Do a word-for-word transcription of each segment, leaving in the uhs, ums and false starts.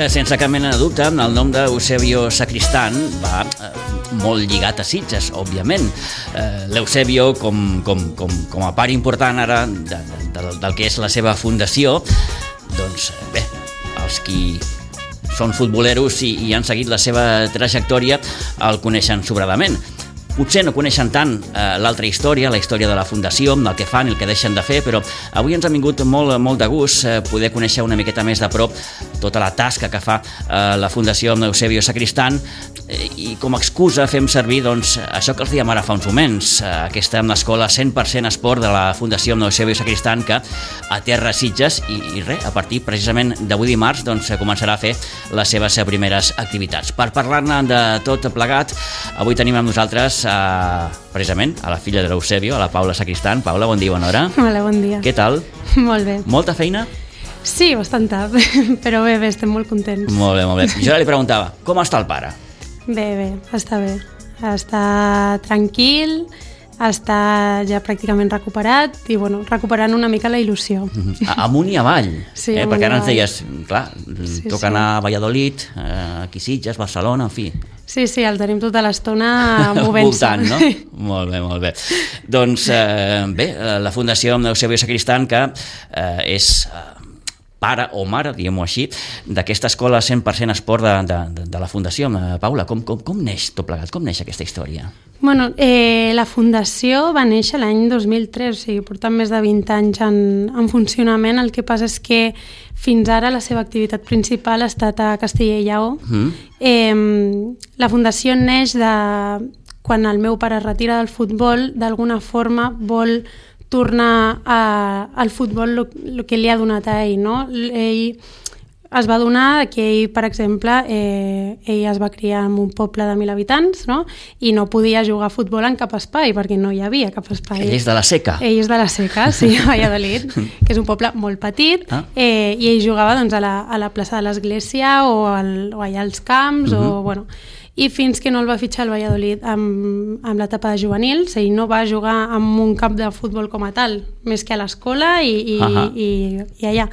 sense cap mena de dubte, el nom d'Eusebio Sacristán va eh, molt lligat a Sitges, òbviament. Eh, L'Eusebio, com, com, com, com a part important ara de, de, del que és la seva fundació, doncs bé, els qui són futboleros i, i han seguit la seva trajectòria el coneixen sobradament. Potser no coneixen tant eh, l'altra història, la història de la fundació, el que fan i el que deixen de fer, però avui ens ha vingut molt, molt de gust eh, poder conèixer una miqueta més de prop tota la tasca que fa eh, la Fundació Eusebio Sacristán eh, i com a excusa fem servir doncs, això que els dèiem ara fa uns moments, eh, aquesta escola cent per cent esport de la Fundació Eusebio Sacristán que aterra a Sitges i, i res, a partir precisament d'avui dimarts doncs, començarà a fer les seves primeres activitats. Per parlar-ne de tot plegat, avui tenim amb nosaltres a, precisament a la filla de l'Eusebio, a la Paula Sacristán. Paula, bon dia, bona hora. Hola, bon dia. Què tal? Molt bé. Molta feina? Sí, bastanta, però bé, bé, estem molt contents. Molt bé, molt bé. Jo ara li preguntava, com està el pare? Bé, bé, està bé. Està tranquil, està ja pràcticament recuperat i, bueno, recuperant una mica la il·lusió. Amunt i avall, sí, eh? Perquè ara ens deies, clar, sí, toca sí. anar a Valladolid, eh, aquí Sitges, Barcelona, en fi. Sí, sí, el tenim tota l'estona movent-se. Voltant, no? Molt bé, molt bé. Doncs, eh, bé, la Fundació Eusebio Sacristán, que eh, és eh, pare o mare, diguem-ho així, d'aquesta escola cent per cent esport de, de, de la Fundació. Paula, com, com, com neix tot plegat? Com neix aquesta història? Bueno, eh, la Fundació va néixer l'any dos mil tres, o sigui, portant més de vint anys en, en funcionament. El que passa és que fins ara la seva activitat principal ha estat a Castella i Lleó. Mm. Eh, la Fundació neix de quan el meu pare es retira del futbol, d'alguna forma vol tornar a, al futbol el que li ha donat a ell, no? Ell es va donar que ell, per exemple, eh, ell es va criar en un poble de mil habitants, no? I no podia jugar a futbol en cap espai, perquè no hi havia cap espai. Ell és de la Seca. Ell és de la Seca, sí, a Valladolid, que és un poble molt petit, ah. eh, i ell jugava doncs, a, la, a la plaça de l'Església o, al, o allà als camps, uh-huh. o, bueno, i fins que no el va fitxar el Valladolid amb, amb l'etapa de juvenils, ell no va jugar en un camp de futbol com a tal, més que a l'escola i, i, uh-huh. i, i allà.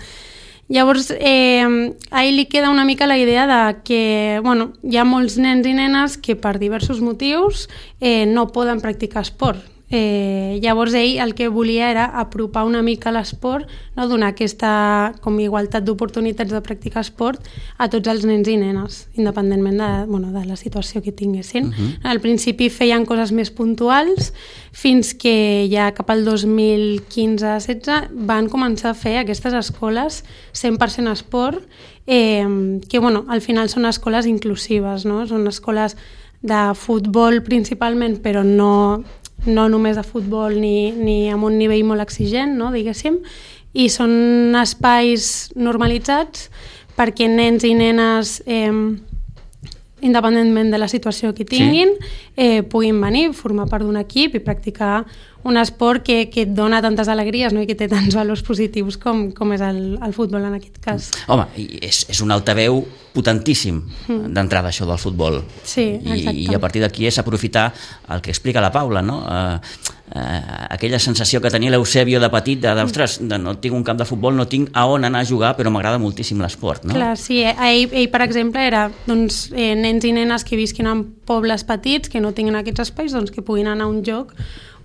Llavors, eh, a ell li queda una mica la idea de que bueno, hi ha molts nens i nenes que per diversos motius eh, no poden practicar esport. Eh, llavors ell el que volia era apropar una mica l'esport, no? Donar aquesta com igualtat d'oportunitats de practicar esport a tots els nens i nenes, independentment de, bueno, de la situació que tinguessin. Uh-huh. Al principi feien coses més puntuals, fins que ja cap al dos mil quinze setze van començar a fer aquestes escoles cent per cent esport, eh, que bueno, al final són escoles inclusives, no? Són escoles de futbol principalment, però no... no només de futbol ni, ni amb un nivell molt exigent, no, diguéssim, i són espais normalitzats perquè nens i nenes, eh, independentment de la situació que tinguin, sí. eh, puguin venir, formar part d'un equip i practicar un esport que, que et dona tantes alegries, no? I que té tants valors positius com, com és el, el futbol en aquest cas. Home, és, és un altaveu potentíssim mm. d'entrada això del futbol. Sí, exacte. I, i a partir d'aquí és aprofitar el que explica la Paula, no? Eh, eh, aquella sensació que tenia l'Eusebio de petit, de, ostres, de no tinc un camp de futbol, no tinc a on anar a jugar, però m'agrada moltíssim l'esport, no? Clar, sí. Ell, ell per exemple, era doncs, eh, nens i nenes que visquin en pobles petits, que no tinguin aquests espais, doncs que puguin anar a un lloc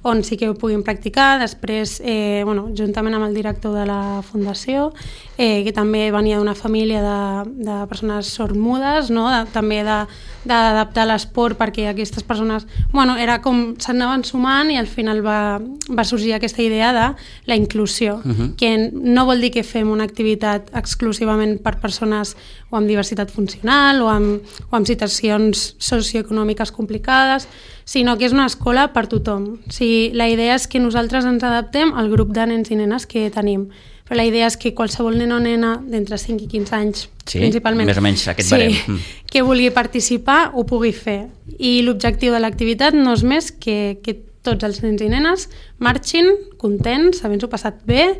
on sí que ho puguin practicar. Després, eh, bueno, juntament amb el director de la Fundació, eh, que també venia d'una família de, de persones sormudes, no? de, també d'adaptar l'esport perquè aquestes persones, bueno, era com s'anaven sumant i al final va, va sorgir aquesta idea de la inclusió, uh-huh. que no vol dir que fem una activitat exclusivament per persones o amb diversitat funcional o amb, o amb situacions socioeconòmiques complicades, sinó que és una escola per tothom. O sigui, la idea és que nosaltres ens adaptem al grup de nens i nenes que tenim, però la idea és que qualsevol nen o nena d'entre cinc i quinze anys, sí, principalment, més o menys aquest sí, barem. que vulgui participar ho pugui fer. I l'objectiu de l'activitat no és més que, que tots els nens i nenes marxin contents, havent-s'ho passat bé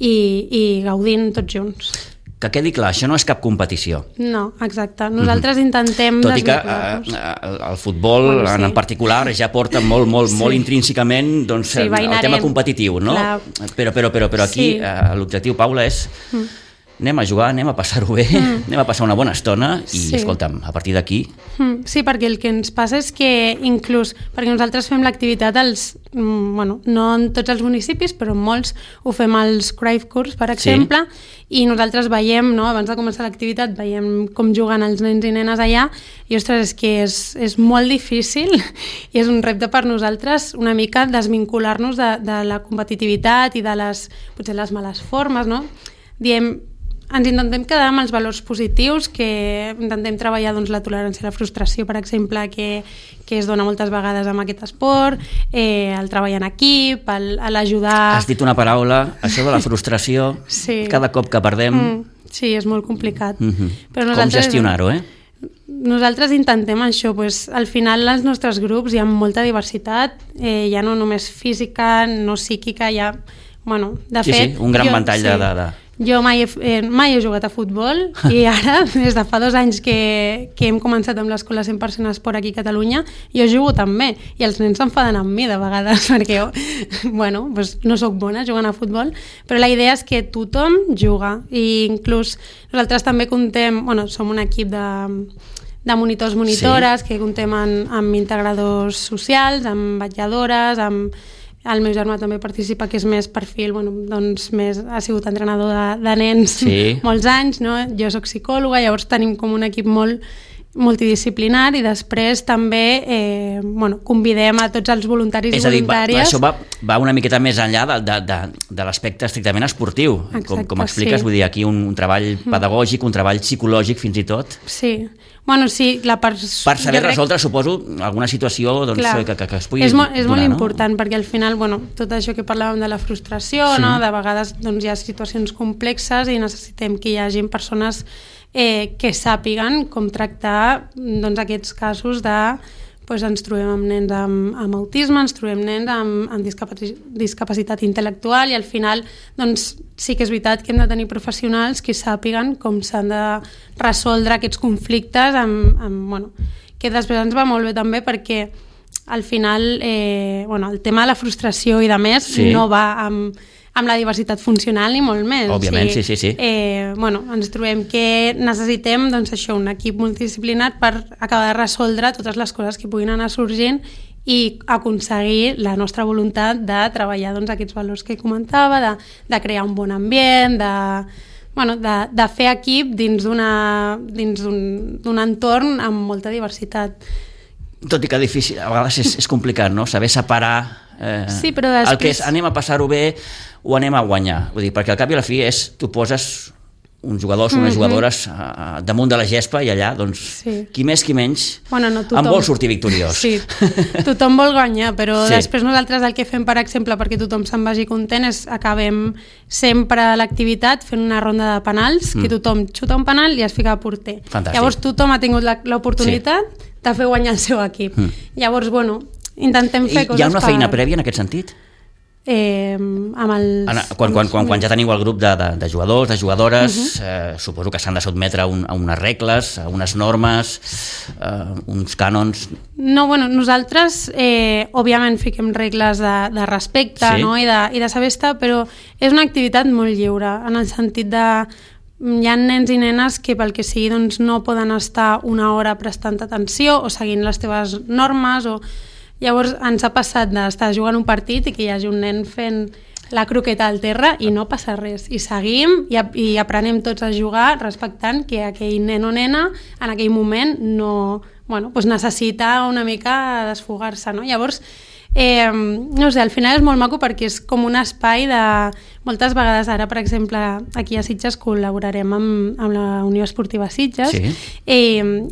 i, i gaudint tots junts. Que quedi clar, això no és cap competició. No, exacte. Nosaltres mm-hmm. intentem... Tot i que eh, el futbol, bueno, sí. en particular, ja porta molt, molt, sí. molt intrínsecament doncs, sí, el, el tema competitiu, no? Clar. Però, però, però, però aquí sí. eh, l'objectiu, Paula, és mm. anem a jugar, anem a passar-ho bé, mm. anem a passar una bona estona i, sí. escolta'm, a partir d'aquí... Mm, sí, perquè el que ens passa és que inclús, perquè nosaltres fem l'activitat als, mm, bueno, no en tots els municipis, però en molts ho fem als Cruyff Courts, per exemple, sí. i nosaltres veiem, no, abans de començar l'activitat, veiem com juguen els nens i nenes allà, i ostres, és que és, és molt difícil i és un repte per nosaltres una mica desvincular-nos de, de la competitivitat i de les, potser les males formes, no? Diem, ens intentem quedar amb els valors positius, que intentem treballar doncs, la tolerància a la frustració, per exemple, que, que es dona moltes vegades amb aquest esport, eh, el treball en equip, l'ajudar... Has dit una paraula, això de la frustració, sí. cada cop que perdem... Mm, sí, és molt complicat. Mm-hmm. Però nosaltres, com gestionar-ho, eh? Nosaltres intentem això, pues, al final als nostres grups hi ha molta diversitat, eh, ja no només física, no psíquica, hi ha... Bueno, de sí, fet, sí, un gran jo, ventall sí. de... de, de... Jo mai he, eh, mai he jugat a futbol i ara, des de fa dos anys que, que hem començat amb l'escola cent per cent esport aquí a Catalunya, jo jugo també i els nens s'enfaden amb mi de vegades perquè jo, bueno, pues no sóc bona jugant a futbol, però la idea és que tothom juga i inclús nosaltres també contem, bueno, som un equip de, de monitors, monitores, sí. que contem amb, amb integradors socials, amb vetlladores, amb... El meu germà també participa, que és més perfil, bueno, doncs més, ha sigut entrenador de, de nens sí. molts anys, no? Jo soc psicòloga, llavors tenim com un equip molt multidisciplinar i després també eh, bueno, convidem a tots els voluntaris i voluntàries. És a dir, va, això va, va una miqueta més enllà de, de, de, de l'aspecte estrictament esportiu. Exacte, com, com expliques, sí. vull dir, aquí un, un treball pedagògic, un treball psicològic fins i tot. Sí. Bueno, sí, la part... Per saber crec... resoldre, suposo, alguna situació doncs, que, que, que es pugui és molt, és donar, molt no? important, perquè al final, bueno, tot això que parlàvem de la frustració, sí. no? De vegades doncs, hi ha situacions complexes i necessitem que hi hagi persones eh, que sàpiguen com tractar doncs, aquests casos de... Pues ens trobem amb nens amb, amb autisme, ens trobem nens amb, amb discapaci discapacitat intel·lectual i al final doncs, sí que és veritat que hem de tenir professionals que sàpiguen com s'han de resoldre aquests conflictes amb, amb, bueno, que després ens va molt bé també perquè al final eh, bueno, el tema de la frustració i de més sí. no va amb, amb la diversitat funcional ni molt més. Òbviament, o sigui, sí, sí, sí. Eh, bueno, ens trobem que necessitem doncs, això, un equip multidisciplinar per acabar de resoldre totes les coses que puguin anar sorgint i aconseguir la nostra voluntat de treballar doncs, aquests valors que comentava, de, de crear un bon ambient, de, bueno, de, de fer equip dins dins d'un entorn amb molta diversitat. Tot i que difícil, a vegades és, és complicat, no? Saber separar eh, sí, però després... el que és anem a passar-ho bé o anem a guanyar. Vull dir, perquè al cap i a la fi és, tu poses uns jugadors o unes mm-hmm. jugadores uh, damunt de la gespa i allà, doncs, sí. qui més, qui menys, bueno, no, tothom... en vol sortir victoriós. Sí, tothom vol guanyar, però sí. després nosaltres el que fem, per exemple, perquè tothom se'n vagi content, és acabem sempre l'activitat fent una ronda de penals, mm. que tothom xuta un penal i es fica a porter. Fantàstic. Llavors tothom ha tingut l'oportunitat sí. de fer guanyar el seu equip. Mm. Llavors, bueno, intentem fer I coses... Hi ha una feina per... prèvia en aquest sentit? Eh, amb els, quan, quan, quan, quan ja teniu el grup de, de, de jugadors, de jugadores, uh-huh. eh, suposo que s'han de sotmetre a, un, a unes regles, a unes normes, eh, uns cànons... No, bueno, nosaltres eh, òbviament fiquem regles de, de respecte sí. no? I, de, i de saber estar, però és una activitat molt lliure, en el sentit de... Hi ha nens i nenes que pel que sigui doncs, no poden estar una hora prestant atenció o seguint les teves normes o... Llavors ens ha passat d'estar jugant un partit i que hi hagi un nen fent la croqueta al terra i no passa res. I seguim i, i aprenem tots a jugar respectant que aquell nen o nena en aquell moment no, bueno, doncs necessita una mica desfogar-se. No? Llavors, eh, no sé, al final és molt maco perquè és com un espai de... Moltes vegades ara, per exemple, aquí a Sitges col·laborarem amb, amb la Unió Esportiva Sitges sí. i,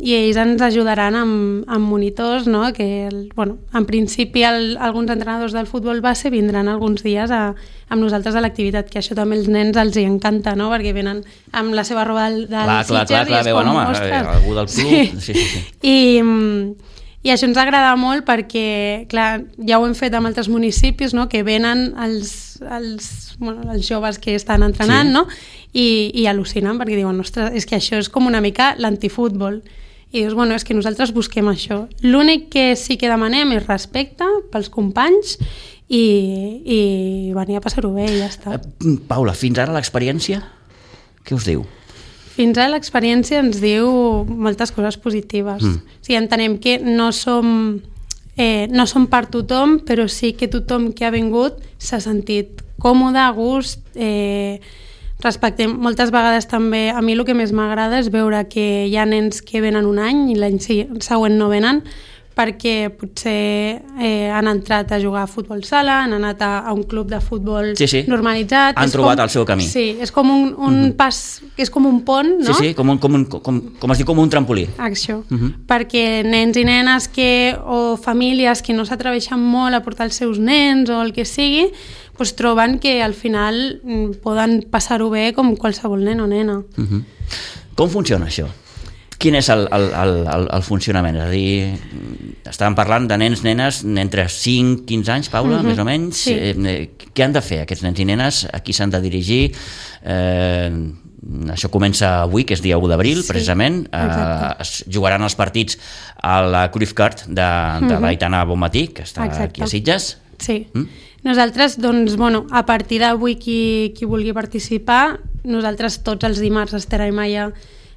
i ells ens ajudaran amb, amb monitors, no? Que, el, bueno, en principi el, alguns entrenadors del futbol base vindran alguns dies a, amb nosaltres a l'activitat, que això també els nens els hi encanta, no? Perquè venen amb la seva roba del, del clar, Sitges clar, clar, clar, i és com, home, ostres... Algú del club... Sí. Sí, sí, sí. I... I això ens agrada molt perquè, clar, ja ho hem fet amb altres municipis, no? Que venen els, els, bueno, els joves que estan entrenant sí. no? I, i al·lucinen perquè diuen, ostres, és que això és com una mica l'antifútbol. I dius, bueno, és que nosaltres busquem això. L'únic que sí que demanem és respecte pels companys i, i venir a passar-ho bé i ja està. Paula, fins ara l'experiència? Què us diu? Fins ara l'experiència ens diu moltes coses positives. Mm. O sigui, entenem que no som, eh, no som per tothom, però sí que tothom que ha vingut s'ha sentit còmode, a gust, eh, respectem. Moltes vegades també, a mi el que més m'agrada és veure que hi ha nens que venen un any i l'any següent no venen, perquè potser eh, han entrat a jugar a futbol sala, han anat a, a un club de futbol sí, sí. normalitzat. Han és trobat com, el seu camí. Sí, és com un, un uh-huh. pas, és com un pont, no? Sí, sí, com, un, com, un, com, com es diu, com un trampolí. Això, uh-huh. perquè nens i nenes que, o famílies que no s'atreveixen molt a portar els seus nens o el que sigui, pues troben que al final poden passar-ho bé com qualsevol nen o nena. Uh-huh. Com funciona això? Quin és el, el, el, el funcionament? És a dir, estàvem parlant de nens, nenes entre cinc i quinze anys, Paula, uh-huh. més o menys. Sí. Eh, què han de fer aquests nens i nenes? A qui s'han de dirigir? Eh, això comença avui, que és dia u d'abril, sí, precisament. Eh, es jugaran els partits a la Cruyff Card de, de uh-huh. l'Aitana Bonmatí, que està exacte. Aquí a Sitges. Sí. Mm? Nosaltres, doncs, bueno, a partir d'avui qui, qui vulgui participar, nosaltres tots els dimarts estarem allà.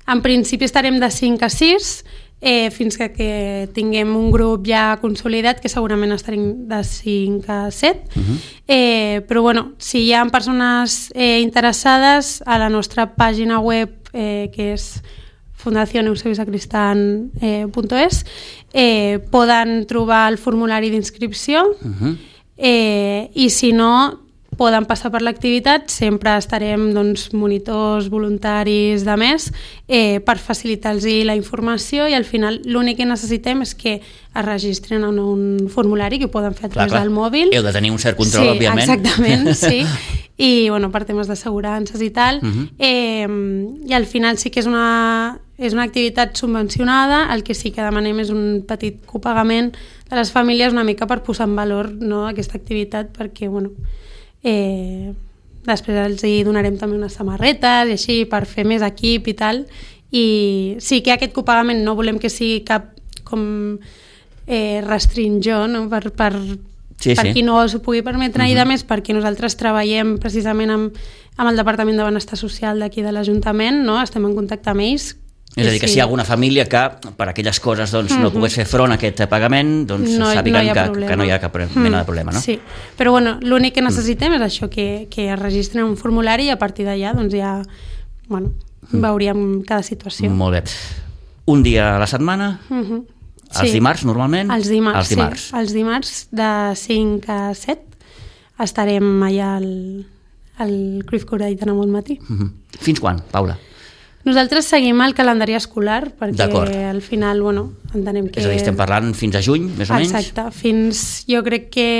En principi estarem de cinc a sis, eh, fins que, que tinguem un grup ja consolidat, que segurament estarem de cinc a set. Uh-huh. eh, però bueno, si hi ha persones eh, interessades, a la nostra pàgina web, eh, que és fundación eusebio sacristán punto es, eh, poden trobar el formulari d'inscripció, uh-huh. eh, i si no, poden passar per l'activitat, sempre estarem doncs, monitors, voluntaris, de més, eh, per facilitar-los la informació, i al final l'únic que necessitem és que es registren en un formulari que ho poden fer a través clar, clar. del mòbil. Heu de tenir un cert control, sí, òbviament. Exactament, sí. I bueno, per temes d'assegurances i tal. Uh-huh. eh, I al final sí que és una, és una activitat subvencionada, el que sí que demanem és un petit copagament de les famílies una mica per posar en valor, no, aquesta activitat, perquè bueno, Eh, després els hi donarem també unes samarretes i així per fer més equip i tal, i sí que aquest copagament no volem que sigui cap com eh, restringó, no? per, per, sí, per sí. qui no s'ho pugui permetre, uh-huh. i de més perquè nosaltres treballem precisament amb, amb el Departament de Benestar Social d'aquí de l'Ajuntament, no? Estem en contacte amb ells. És a dir, que si hi ha alguna família que per aquelles coses doncs, mm-hmm. no pogués fer front a aquest pagament, doncs no, sàpiguen no que, que no hi ha cap mena de problema, no? Sí, però bueno, l'únic que necessitem mm. és això, que, que es registren un formulari, i a partir d'allà doncs ja bueno, mm. veuríem cada situació. Molt bé. Un dia a la setmana? Mm-hmm. Els sí. dimarts, normalment? Els dimarts, els dimarts. sí. Els dimarts de cinc a set estarem allà al, al Cruyff Card d'Aitana Bonmatí. Mm-hmm. Fins quan, Paula? Nosaltres seguim el calendari escolar perquè al final, bueno, entenem que... És a dir, estem parlant fins a juny, més o menys? Exacte, fins, jo crec que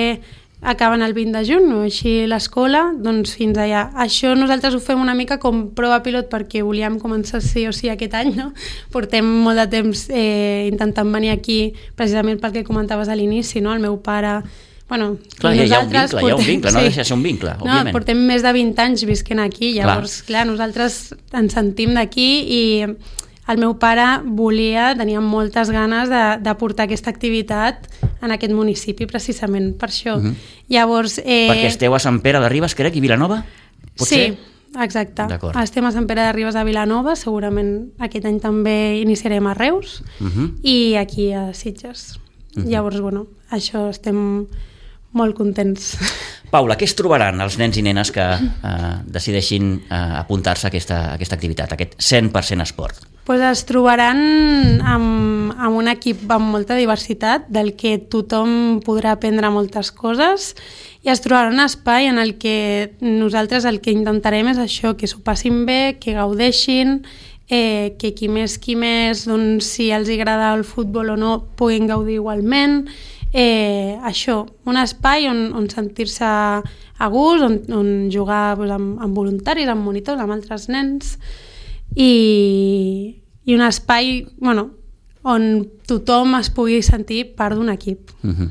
acaben el vint de juny, o així l'escola, doncs fins allà. Això nosaltres ho fem una mica com prova pilot perquè volíem començar sí o sí aquest any, no? Portem molt de temps eh, intentant venir aquí precisament pel que comentaves a l'inici, no? El meu pare... Bueno, clar, hi ha un vincle, portem, hi ha un vincle, no sí. deixa de ser un vincle, òbviament. No, portem més de vint anys visquent aquí, llavors, clar, clar nosaltres ens sentim d'aquí, i el meu pare volia, tenia moltes ganes de, de portar aquesta activitat en aquest municipi, precisament per això. Uh-huh. Llavors... Eh... Perquè esteu a Sant Pere de Ribes, crec, i Vilanova? Potser? Sí, exacte. Estem a Sant Pere de Ribes a Vilanova, segurament aquest any també iniciarem a Reus, uh-huh. i aquí a Sitges. Uh-huh. Llavors, bueno, això estem... molt contents. Paula, què es trobaran els nens i nenes que eh, decideixin eh, apuntar-se a aquesta, a aquesta activitat, a aquest cent per cent esport? Pues es trobaran amb, amb un equip amb molta diversitat, del que tothom podrà aprendre moltes coses, i es trobaran un espai en el que nosaltres el que intentarem és això, que s'ho passin bé, que gaudeixin, eh, que qui més qui més, doncs, si els agrada el futbol o no, puguin gaudir igualment. Eh, això, un espai on, on sentir-se a gust, on, on jugar doncs, amb, amb voluntaris, amb monitors, amb altres nens, i, i un espai bueno, on tothom es pugui sentir part d'un equip. Uh-huh.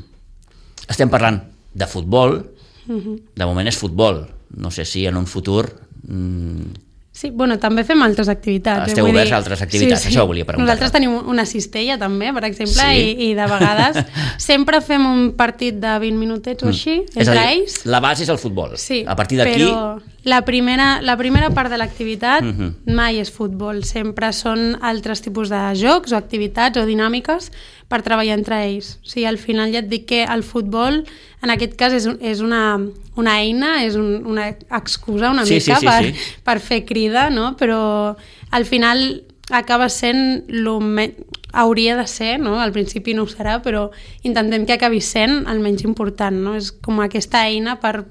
Estem parlant de futbol, uh-huh. de moment és futbol, no sé si en un futur... Mm, sí, bueno, també fem altres activitats. Esteu oberts a altres activitats, sí, sí. Això ho volia preguntar. Nosaltres tenim una cistella també, per exemple, sí. i, i de vegades sempre fem un partit de vint minutets o així, mm. entre és a dir, ells. la base és el futbol. Sí, a partir d'aquí... però La primera, la primera part de l'activitat uh-huh. mai és futbol, sempre són altres tipus de jocs o activitats o dinàmiques per treballar entre ells. O sigui, al final ja et dic que el futbol, en aquest cas, és, és una, una eina, és un, una excusa una sí, mica sí, sí, per, sí. per fer crida, no? Però al final acaba sent lo me... hauria de ser, no? Al principi no ho serà, però intentem que acabi sent el menys important, no? És com aquesta eina per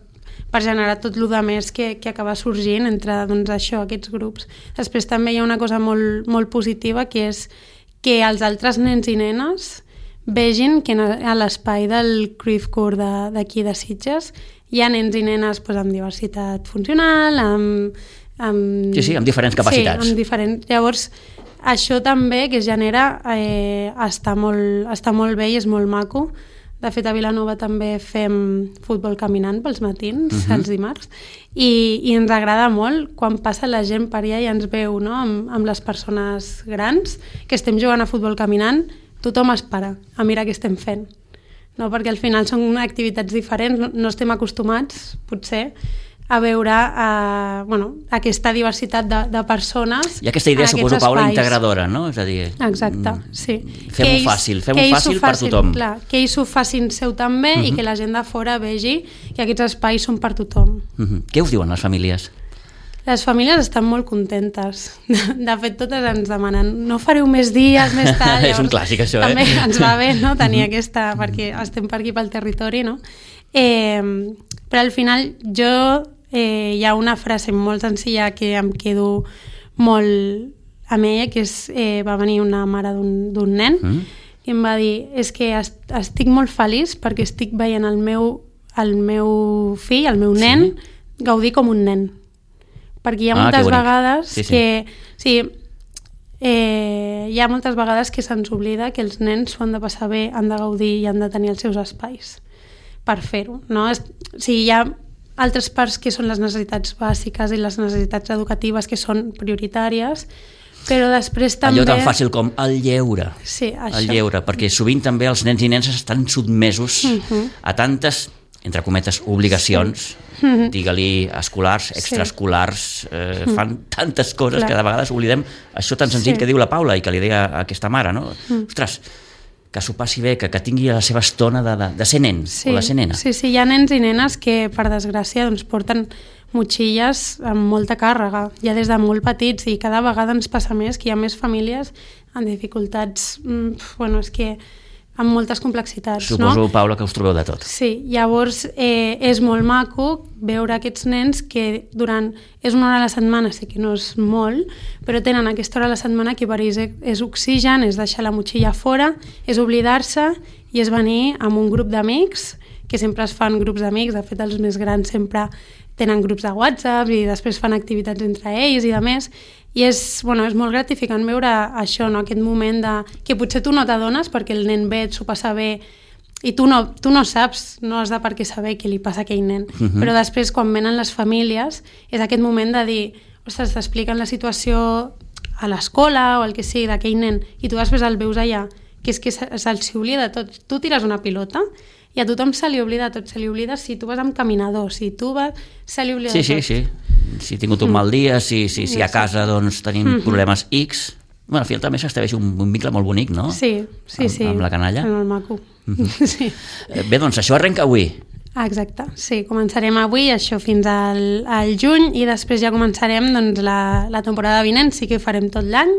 per generar tot el més que, que acaba sorgint entre doncs, això, aquests grups. Després també hi ha una cosa molt, molt positiva, que és que els altres nens i nenes vegin que a l'espai del Cruyff Court d'aquí de, de Sitges hi ha nens i nenes doncs, amb diversitat funcional, amb, amb... Sí, sí, amb diferents capacitats. Sí, amb diferents... Llavors, això també que es genera eh, està, molt, està molt bé i és molt maco. De fet, a Vilanova també fem futbol caminant pels matins, uh-huh. els dimarts, i, i ens agrada molt quan passa la gent per allà i ens veu, no? amb, amb les persones grans que estem jugant a futbol caminant, tothom es para a mirar què estem fent. No? Perquè al final són activitats diferents, no, no estem acostumats, potser, a veure uh, bueno, aquesta diversitat de, de persones. I aquesta idea, suposo, Paula, integradora, no? És a dir, exacte, sí. Fem-ho fàcil, fem-ho fàcil per tothom. Clar, que ells ho facin seu també uh-huh. i que la gent de fora vegi que aquests espais són per tothom. Uh-huh. Què us diuen les famílies? Les famílies estan molt contentes. De fet, totes ens demanen no fareu més dies, més tard. És un clàssic, això, també eh? També ens va bé, no?, tenir aquesta, perquè estem per aquí pel territori, no? Eh, però al final jo eh, hi ha una frase molt senzilla que em quedo molt amb ella, que és, eh, va venir una mare d'un nen mm. i em va dir, és que est estic molt feliç perquè estic veient el meu, el meu fill, el meu nen, sí. gaudir com un nen. Perquè hi ha ah, moltes vegades sí, sí. que... Sí, eh, hi ha moltes vegades que se'ns oblida que els nens s'ho han de passar bé, han de gaudir i han de tenir els seus espais per fer-ho, no? O sigui, hi ha altres parts que són les necessitats bàsiques i les necessitats educatives que són prioritàries, però després també... Allò tan fàcil com el lleure. Sí, això. El lleure, perquè sovint també els nens i nenes estan sotmesos uh-huh. a tantes, entre cometes, obligacions, sí. uh-huh. digue-li escolars, extraescolars, eh, uh-huh. fan tantes coses Clar. que de vegades oblidem això tan senzill sí. que diu la Paula i que li deia a aquesta mare, no? Uh-huh. Ostres, que s'ho passi bé, que, que tingui la seva estona de, de, de ser nen sí, o de ser nena. Sí, sí, hi ha nens i nenes que, per desgràcia, doncs, porten motxilles amb molta càrrega, ja des de molt petits, i cada vegada ens passa més que hi ha més famílies amb dificultats, mm, bueno, és que amb moltes complexitats. Suposo, no? Paula, que us trobeu de tot. Sí, llavors eh, és molt maco veure aquests nens que durant... És una hora a la setmana, sé que no és molt, però tenen aquesta hora a la setmana que per ells és oxigen, és deixar la motxilla fora, és oblidar-se i és venir amb un grup d'amics, que sempre es fan grups d'amics, de fet els més grans sempre tenen grups de WhatsApp i després fan activitats entre ells i de més, i és, bueno, és molt gratificant veure això, no? Aquest moment de, que potser tu no t'adones perquè el nen ve, s'ho passa bé i tu no, tu no saps, no has de per què saber què li passa a aquell nen, uh-huh. però després quan venen les famílies és aquest moment de dir, ostres, t'expliquen la situació a l'escola o el que sigui d'aquell nen i tu després el veus allà, que és que se'ls oblida tot. Tu tires una pilota i a tothom se li oblida tot, se li oblida si tu vas amb caminador, si tu vas, se li oblida sí, tot. Sí, sí, sí. Si he tingut un mal dia, si, si, si a casa doncs, tenim mm-hmm. problemes X... Bueno, al final també s'estableix un, un vincle molt bonic, no? Sí, sí, sí. Amb, amb la canalla. És molt maco. Mm-hmm. Sí. Bé, doncs això arrenca avui. Ah, exacte, sí, començarem avui, això fins al, al juny, i després ja començarem doncs, la, la temporada vinent, sí que farem tot l'any,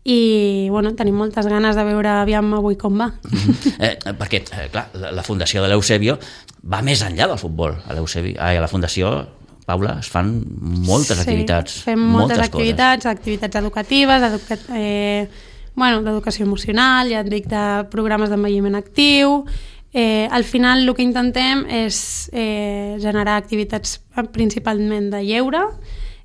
i bueno, tenim moltes ganes de veure aviam avui com va. Mm-hmm. eh, perquè, eh, clar, la, la fundació de l'Eusebio va més enllà del futbol. A l'Eusebio, ai, a la fundació, Paula, es fan moltes sí, activitats. Fem moltes, moltes activitats, coses. activitats educatives, educa eh, bueno, d'educació emocional, ja et dic, de programes d'envelliment actiu. Eh, al final el que intentem és eh, generar activitats principalment de lleure,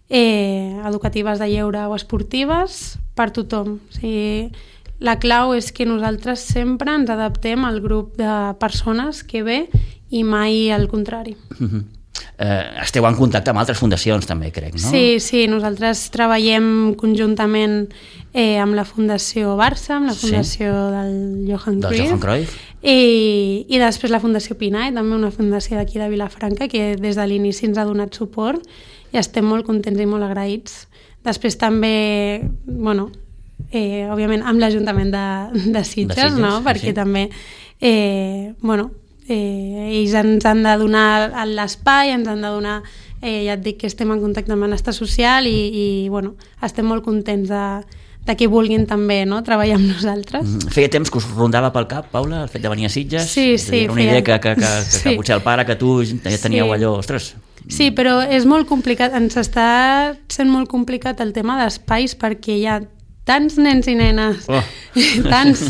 eh, educatives de lleure o esportives per tothom. O sigui, la clau és que nosaltres sempre ens adaptem al grup de persones que ve i mai al contrari. Mm-hmm. Eh, esteu en contacte amb altres fundacions també, crec, no? Sí, sí, nosaltres treballem conjuntament eh, amb la Fundació Barça, amb la Fundació sí. del Johan Cruyff, del Johan Cruyff. I, i després la Fundació Pinay, també una fundació d'aquí de Vilafranca que des de l'inici ens ha donat suport, i estem molt contents i molt agraïts. Després també, bueno, eh, òbviament amb l'Ajuntament de, de Sitges, de Sitges, no? Perquè sí. també, eh, bueno, eh, ells ens han de donar l'espai, ens han de donar, eh, ja et dic que estem en contacte amb Benestar Social i, i bueno, estem molt contents de, de que vulguin també, no?, treballar amb nosaltres. Mm, feia temps que us rondava pel cap, Paula, el fet de venir a Sitges? Sí, sí. Era una feia... idea que, que, que, que, sí. que potser el pare, que tu ja teníeu sí. allò, ostres... Sí, però és molt complicat, ens està sent molt complicat el tema d'espais perquè hi ha tants nens i nenes, oh. tants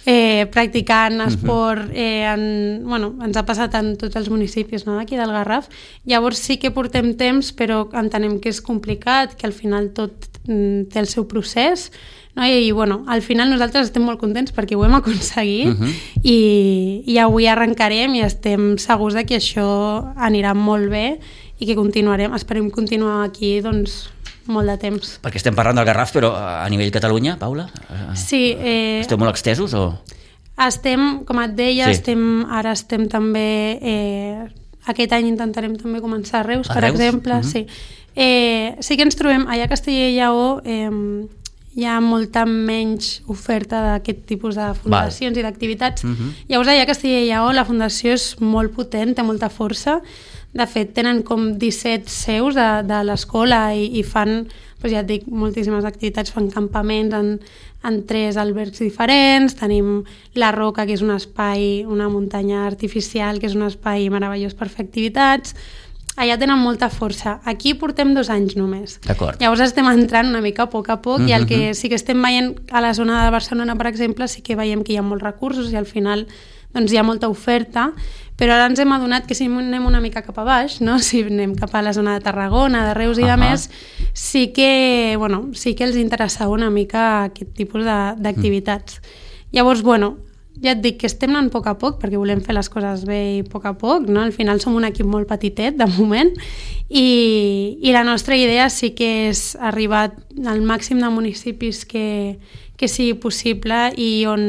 eh, practicant esport, eh, en, bueno, ens ha passat en tots els municipis, no?, d'aquí del Garraf. Llavors sí que portem temps, però entenem que és complicat, que al final tot mm, té el seu procés, no? I, i bueno, al final nosaltres estem molt contents perquè ho hem aconseguit uh -huh. i, i avui arrencarem i estem segurs de que això anirà molt bé i que continuarem, esperem continuar aquí doncs molt de temps. Perquè estem parlant del Garraf, però a nivell Catalunya, Paula? Sí. Eh, Esteu molt extesos o...? Estem, com et deia, sí. estem, ara estem també... Eh, aquest any intentarem també començar a Reus, a per Reus? exemple. Uh -huh. Sí. Eh, sí que ens trobem, allà a Castella i Lleó eh, hi ha molta menys oferta d'aquest tipus de fundacions Val. i d'activitats. Uh -huh. Llavors, allà a Castella i Lleó la fundació és molt potent, té molta força. De fet, tenen com disset seus de, de l'escola i, i fan, doncs ja et dic, moltíssimes activitats, fan campaments en, en tres albergs diferents, tenim la Roca, que és un espai, una muntanya artificial, que és un espai meravellós per fer activitats. Allà tenen molta força. Aquí portem dos anys només. D'acord. Llavors estem entrant una mica a poc a poc, uh -huh. i el que sí que estem veient a la zona de Barcelona, per exemple, sí que veiem que hi ha molts recursos i al final doncs hi ha molta oferta, però ara ens hem adonat que si anem una mica cap a baix, no? Si anem cap a la zona de Tarragona, de Reus i uh -huh. de més, sí que, bueno, sí que els interessava una mica aquest tipus d'activitats. Mm. Llavors, bueno, ja et dic que estem anant a poc a poc perquè volem fer les coses bé i a poc a poc, no? Al final som un equip molt petitet de moment i, i la nostra idea sí que és arribar al màxim de municipis que, que sigui possible i on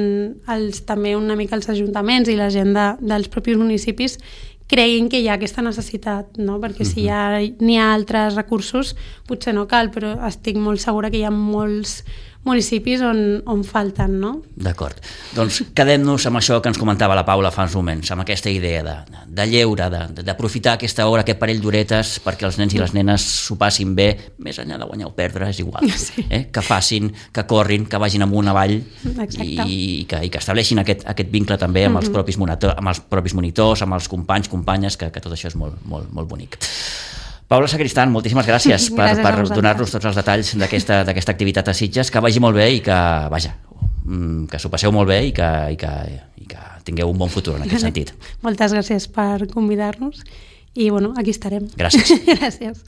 els, també una mica els ajuntaments i la gent de, dels propis municipis creguin que hi ha aquesta necessitat, no? Perquè si hi ha, n'hi ha altres recursos potser no cal, però estic molt segura que hi ha molts municipis on, on falten, no? D'acord. Doncs quedem-nos amb això que ens comentava la Paula fa uns moments, amb aquesta idea de, de lleure, d'aprofitar aquesta hora, aquest parell d'horetes perquè els nens i les nenes s'ho passin bé, més enllà de guanyar o perdre, és igual. Sí. Eh? Que facin, que corrin, que vagin amunt avall i, i, que, i que estableixin aquest, aquest vincle també amb, els propis monitor, amb els propis monitors, amb els companys, companyes, que, que tot això és molt, molt, molt bonic. Paula Sacristán, moltíssimes gràcies, gràcies per, per donar-nos tots els detalls d'aquesta d'aquesta activitat a Sitges, que vagi molt bé i que, vaja, que s'ho passeu molt bé i que, i, que, i que tingueu un bon futur en aquest sentit. Moltes gràcies per convidar-nos i, bueno, aquí estarem. Gràcies. Gràcies.